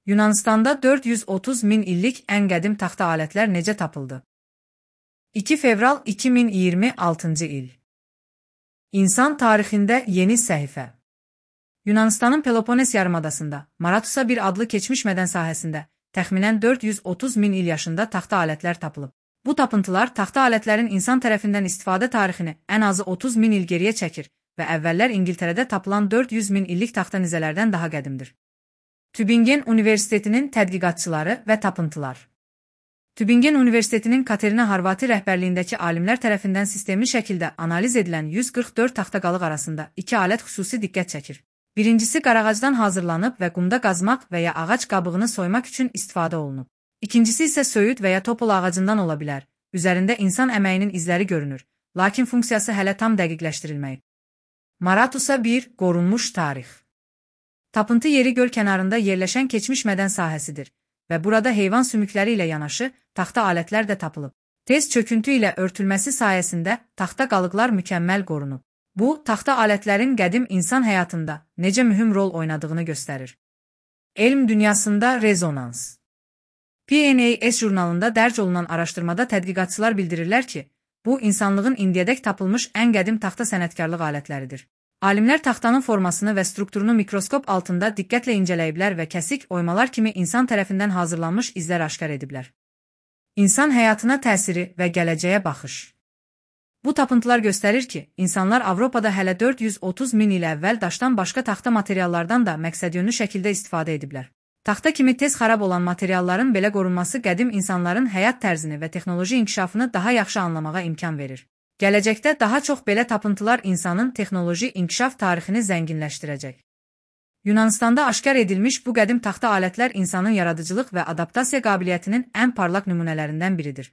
Yunanistanda 430 min illik ən qədim taxta alətlər necə tapıldı? 2 fevral 2026 il. İnsan tarixində yeni səhifə. Yunanistanın Peloponnes yarımadasında, Maratusa bir adlı keçmiş mədən sahəsində, təxminən 430 min il yaşında taxta alətlər tapılıb. Bu tapıntılar taxta alətlərin insan tərəfindən istifadə tarixini ən azı 30 min il geriyə çəkir və əvvəllər İngiltərədə tapılan 400 min illik taxta nizələrdən daha qədimdir. Tübingen Universitetinin tədqiqatçıları və tapıntılar. Tübingen Universitetinin Katerina Harvati rəhbərliyindəki alimlər tərəfindən sistemli şəkildə analiz edilən 144 taxta qalıq arasında iki alət xüsusi diqqət çəkir. Birincisi qarağacdan hazırlanıb və qumda qazmaq və ya ağac qabığını soymaq üçün istifadə olunub. İkincisi isə söyüd və ya topol ağacından ola bilər. Üzərində insan əməyinin izləri görünür, lakin funksiyası hələ tam dəqiqləşdirilməyib. Maratusa 1 qorunmuş tarix. Tapıntı yeri göl kənarında yerləşən keçmiş mədən sahəsidir və burada heyvan sümükləri ilə yanaşı taxta alətlər də tapılıb. Tez çöküntü ilə örtülməsi sayəsində taxta qalıqlar mükəmməl qorunub. Bu, taxta alətlərin qədim insan həyatında necə mühüm rol oynadığını göstərir. Elm dünyasında rezonans. PNAS jurnalında dərc olunan araşdırmada tədqiqatçılar bildirirlər ki, bu, insanlığın indiyədək tapılmış ən qədim taxta sənətkarlıq alətləridir. Alimlər taxtanın formasını və strukturunu mikroskop altında diqqətlə incələyiblər və kəsik oymalar kimi insan tərəfindən hazırlanmış izlər aşkar ediblər. İnsan həyatına təsiri və gələcəyə baxış. Bu tapıntılar göstərir ki, insanlar Avropada hələ 430 min il əvvəl daşdan başqa taxta materiallardan da məqsədyönlü şəkildə istifadə ediblər. Taxta kimi tez xarab olan materialların belə qorunması qədim insanların həyat tərzini və texnoloji inkişafını daha yaxşı anlamağa imkan verir. Gələcəkdə daha çox belə tapıntılar insanın texnoloji inkişaf tarixini zənginləşdirəcək. Yunanistanda aşkar edilmiş bu qədim taxta alətlər insanın yaradıcılıq və adaptasiya qabiliyyətinin ən parlaq nümunələrindən biridir.